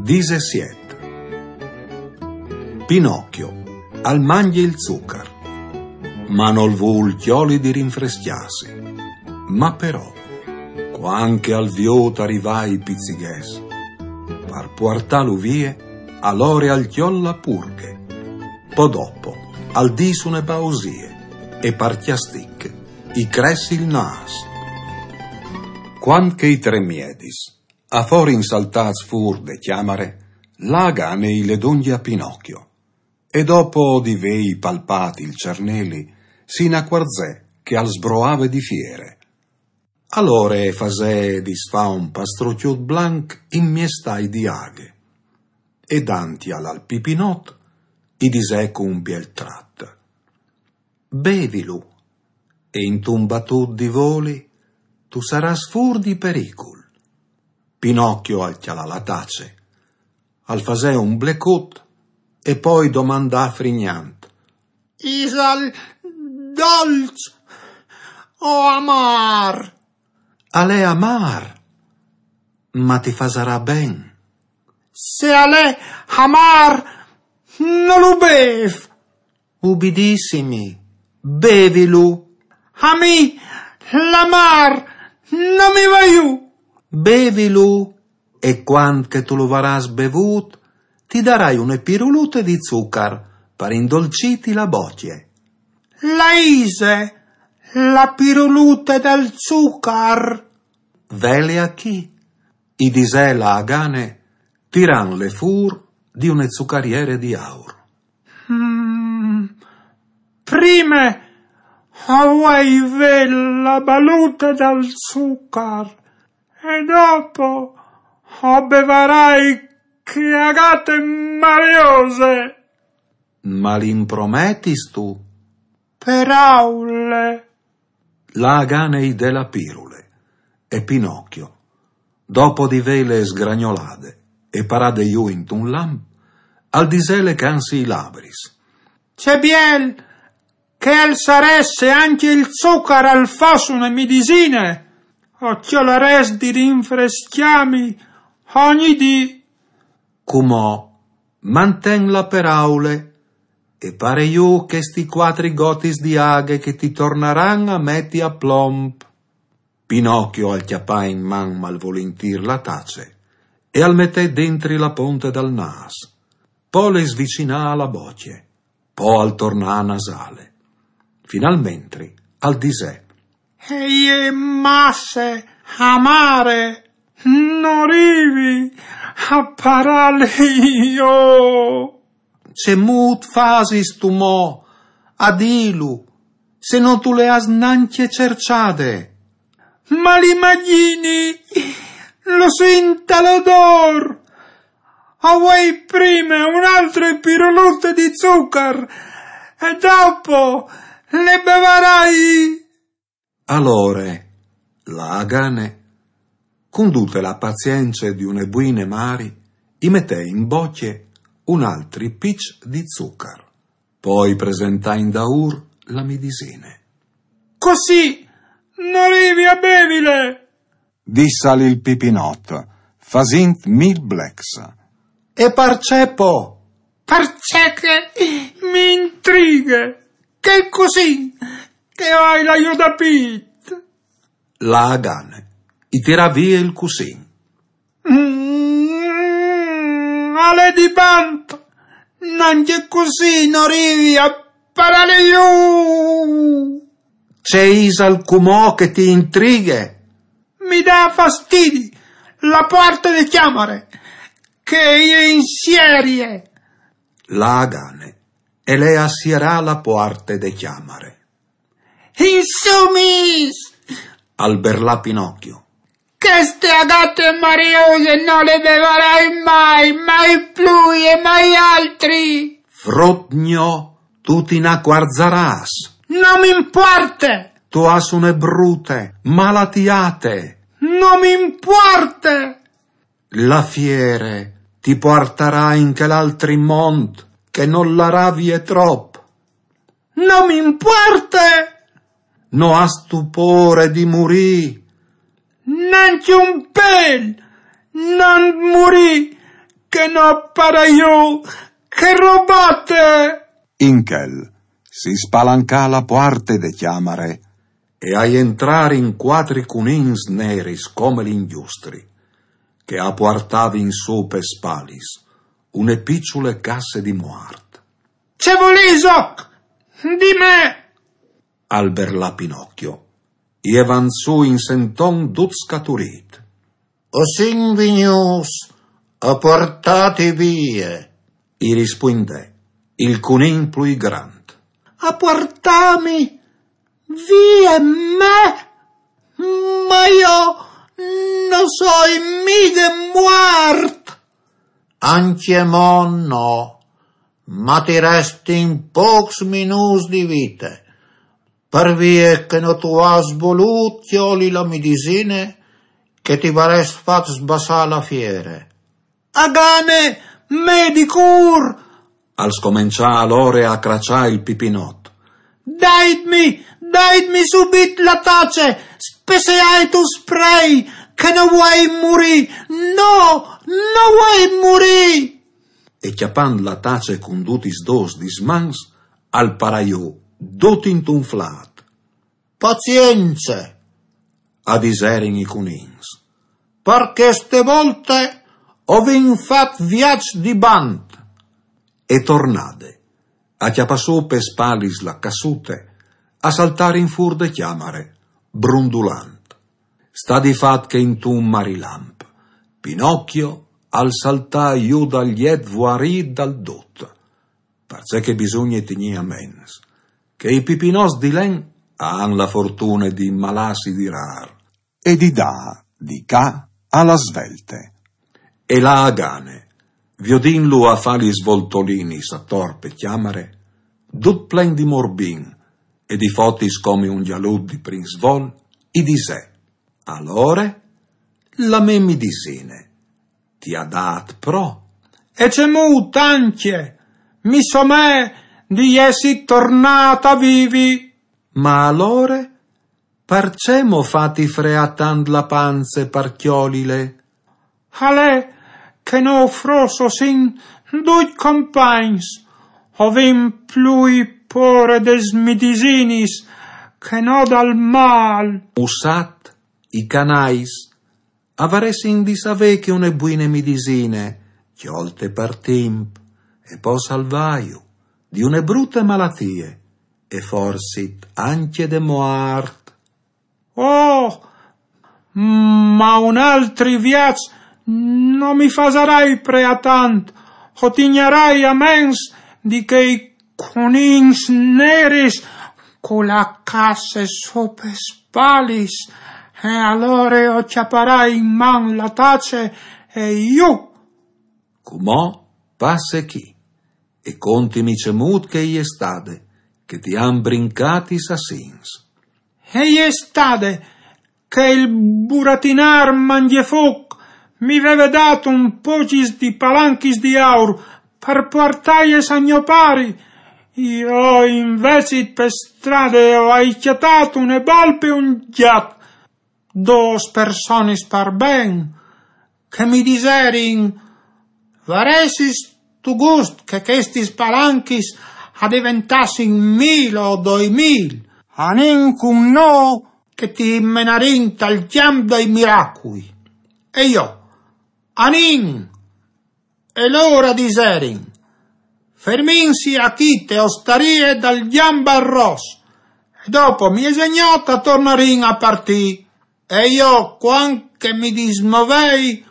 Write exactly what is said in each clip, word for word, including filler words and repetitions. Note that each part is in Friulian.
Disesiet. Pinocchio al mangje il zucar, ma nol vûl cjoli di rinfrescjâsi. Ma però, cuant che al viôt rivâ i pizzighets, par puartâlu vie, alore al cjol la purghe. Po dopo, al dîs une bausie, e par cjastic i crès il nâs. Cuant che i trê miedis a forin saltâts fûr de cjamare, la Agane i le dongje a Pinocchio, e dopo di vêi palpât il cerneli, si inacuarzè che al sbroave di fiere. Alore e fasè disfâ un pastrucjut blanc in miestâi di aghe, e dantial al Pipinot i disè cun biel trat: «Bevilu, e intun batut di voli tu sarâs fûr di pericul.» Pinocchio al cjalà la tace, al fasè un blecut e po i domandà frignant: «Isal dolç o amâr?» «Al è amâr, ma ti fasarà ben.» «Se al è amâr, no lu bêf.» «Ubidissimi, bevilu.» «A mi l'amâr no mi va jù.» «Bevilu, e cuant che tu lu varâs bevût, ti darai une pirulute di zucar par indolcîti la bocje.» «La ise la pirulute dal zucar?» «Vele achì», i disè la Agane, tirantule fûr di une zucariere di aur. «Mm, prime o vuei vê la balute dal zucar, e dopo o bevarai chê agate mariose.» «Ma l'imprometistu?» «Per aule.» La Agane i dè la pirule, e Pinocchio, dopo di vêle sgragnolade e parade jù intun lamp, al disè lecantsi i labris: «Ce biel che al sarès se ancje il zucar al fos une midisine, o cjolarès di rinfrescjâmi ogni dì.» «Cumò manten la peraule e pare jù chestis cuatri gotis di aghe che ti tornaran a meti a plomp.» Pinocchio al cjapà in man malvolintîr la tace e al metè dentri la ponte dal nâs. Po le svicinà a la bocje, po al tornà a nasâle. Finalmentri al disè: «E je masse amare, no rivi a parâle jo.» «Cemût fasistu mo a dîlu, se no tu le âs nancje cerçade?» «Ma l'imagjini, lu sint tal odôr. O vuei prime une altre pirulute di zucar, e dopo le bevarai.» Alore la Agane, cun dute la pazience di une buine mari, i metè in bocje un altri piç di zucar. Po i presentà indaûr la midisine. «Cussì no rivi a bevile», dissal il Pipinot, fasint mil blecs. «E parcè po?» «Parcè che mi intrighe chel cussin che o ai là jù dal pît.» La Agane i tirà vie il cussin. «Mm, al è di bant, nancje cussì no rivi a parâle jù.» «Ce isal cumò che ti intrighe?» «Mi dà fastidi la puarte de cjamare, che e je in sierie.» La Agane e le à sierà la puarte de cjamare. «Insumis!» al berlà Pinocchio. «Cheste agate mariose no le bevarai mai, mai plui e mai altri!» «Frut gno, tu ti inacuarzarâs.» «No mi impuarte!» «Tu âs une brute malatiate.» «No mi impuarte!» «La fiere ti puartarà in chel altri mont che nol larà vie trop.» «No mi impuarte!» «No âstu pôre di murî?» «Nancje un pêl, no murî, che no para jù, che robate! In chel si spalancà la puarte de cjamare e a jentrarin cuatri cunins neris come l'ingjustri, che a puartavin sù pe spalis une piçule casse di muart. Ce volìsoc? Di me! Al berlà Pinocchio, e vanzù in senton dut scaturît. O sin vignûts a puartâti vie, i rispuindè il cunin plui grant. A puartâmi vie me? Ma jo no soi mighe muart! Ancjemò no, ma ti restin pôcs minûts di vite, par vie che no tu âs volût cjoli la midisine che ti varès fat sbassâ la fiere. A gane me di cûr! Al scomençà alore a craçâ il Pipinot. Daitmi, daitmi subit la tace, spesseait usprei, che no vuei murî, no, no vuei murî! E cjapant la tace cun dutis dôs dis mans, al parà jù, dut intunflât. Pazience, a diserin i cunins, par cheste volte o vin fat viaç di bant. E tornade, a cjapâ sù pe spalis la cassute, a saltarin fûr de cjamare, brundulant. Sta di fat che intun marilamp, Pinocchio al saltà jù dal jet vuarît dal dut. Parcè che bisugne tignî a ments che i pipinots di len a àn la fortune di malâsi di râr e di dâ di ca a la svelte. E là a gane, viodintlu a fâ lis voltolinis ator pe cjamare, dut plen di morbin e di fotis come un gjalut di prin svol, i disè: Alore? La mê midisine ti à dât pro? E cemût ancje, mi somee di jessi tornât a vivi. Ma alore, parcè mo fâti freâ tant la panze par cjolile? Al è che nô fruts o sin ducj compagns, o vin plui pôre des midisinis che no dal mâl. Usat, i canais a varessin di savê che une buine midisine, cjolte par timp, e pò salvâju di une brute malatie, e forsit ancje de muart. Oh, ma un altri viaç no mi fasarai preâ tant, o tignarai a ments di chei cunins neris cu la casse sù pes spalis, e alore o cjaparai in man la tace e jù. Cumò passe chi e contimi cemût che e je stade, che ti àn brincât i sassins. E je stade che il buratinâr Mangjefûc mi veve dât un pocis di palanchis di aur par puartâies a gno pari. Jo invezit pe strade o ai cjatât une volpe e un gjat, dôs personis par ben, che mi diserin: Varessistu gust che chestis palanchis a deventassin mil o doi mil? Anìn cun nô che ti menarìn tal cjamp dai miracui. E jo: Anìn! E lôr a diserin: Fermìnsi achì te ostarie dal Gjambarros, e dopo miezegnot a tornarìn a partî. E jo, cuant che mi dismovei,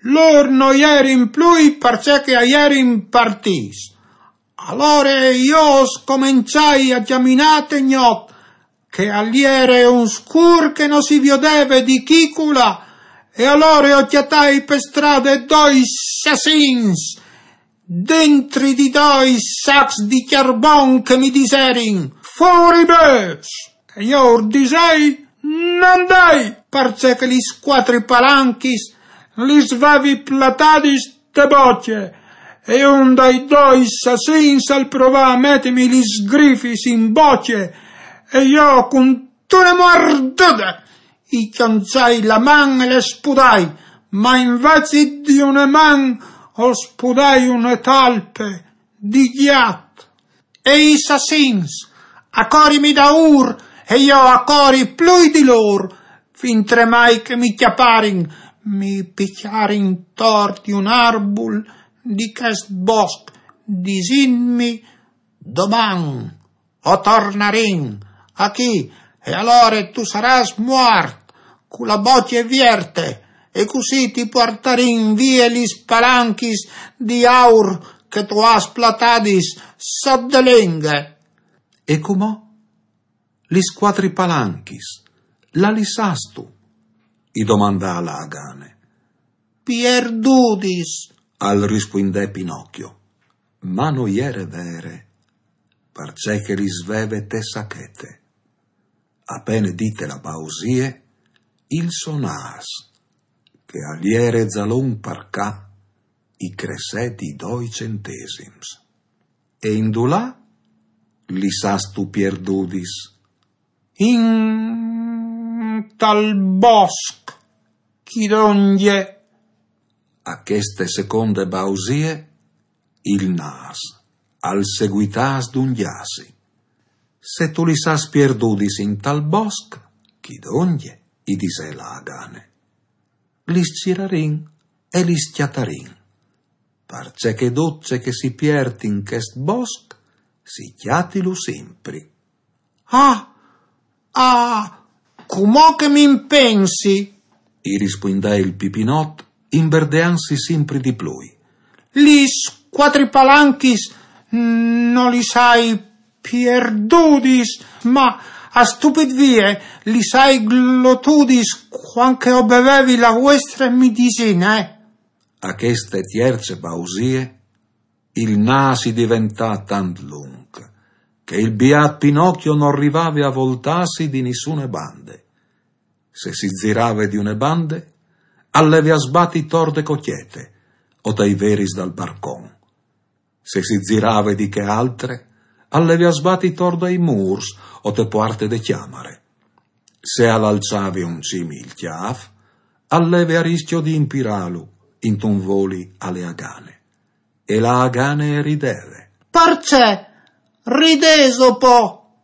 lôr no jerin plui parcè che a jerin partîts. Alore jo o scomençai a cjaminâ te gnot, che al jere un scûr che no si viodeve di chicula, e alore o cjatai pe strade doi sassins, dentri di doi sacs di cjarbon, che mi diserin: Fûr i bêçs! E jo ur disei: No 'nd ai, parcè che lis cuatri palanchis lis vevi platadis te bocje, e un dai doi sassins al provà a metimi lis sgrifis in bocje, e jo cuntune muardude i cjonçai la man e le spudai, ma invezit di une man o spudai une talpe di gjat. E i sassins, a cori mi daûr, e jo a cori plui di lôr, fintremai che mi cjaparin, mi picjarin tor di un arbul di chest bosc, disintmi: doman o tornarin achì, e alore tu sarâs muart, cu la bocje vierte, e cussì ti puartarin vie lis palanchis di aur che tu âs platadis sot de lenghe. E cumò? Lis cuatri palanchis, là lis âstu? I domandà la agane. Pierdudis, al rispuindè Pinocchio. Ma no jere vere, parcè che lis veve te sachete. A pene dite la bausie, il so nâs, che al jere za longh par ca, i cressè di doi centesims. E indulà lis âstu pierdudis? Intal bosc, chi dongje. A cheste seconde bausie, il nâs al seguità a sdungjâsi. Se tu lis âs pierdudis intal bosc, chi dongje, i disè la agane, lis cirarìn e lis cjatarin, parcè che dut ce che si piert in chest bosc si cjatilu simpri. Ah, ah, cumò che mi impensi, i rispuindè il Pipinot, imberdeantsi simpri di plui. Lis cuatri palanchis no lis ai pierdudis, ma a stupit vie lis ai glotudis cuant che o bevevi la vuestre midisine. A cheste tierce bausie, il nâs i diventà tant lunc, che il biât Pinocchio no rivave a voltâsi di nissune bande. Se si zirave di une bande, al leve a sbati tor de cocjete, o tai veris dal barcon. Se si zirave di chê altre, al leve a sbati tor dai mûrs, o te puarte de cjamare. Se al alçave un cimi il cjâf, al leve a riscjo di impirâlu intun voli a le agane. E la agane e rideve. Parcè ridêso po?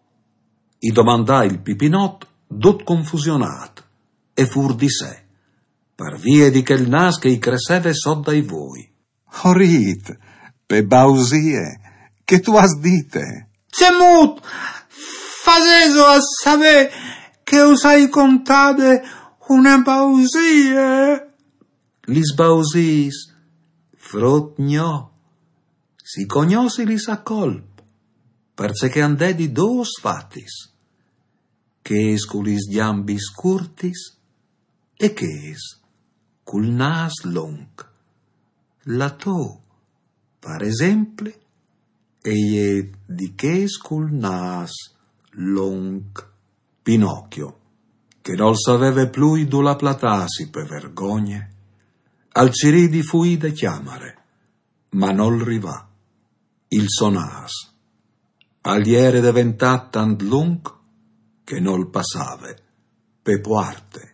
I domandà il Pipinot, dut confusionât e fûr di se, par vie di chel nâs che i cresseve sot dai voi. O rît, pe bausie, che tu âs dite? Cemût fasêso a savê che us ai contade une bausie? Lis bausiis, frut gno, si cognossilis a colp, parcè che a 'nd è di dôs fatis, chês cu lis gjambis curtis e chês cul nâs lonc. La tô, par esempli, e je di chês cul nâs lonc. Pinocchio, che nol saveve plui dulà platâsi pe vergogne, al cirì di fuî de cjamare, ma nol rivà. Il so nâs al jere deventât tant lunc che nol passave pe puarte.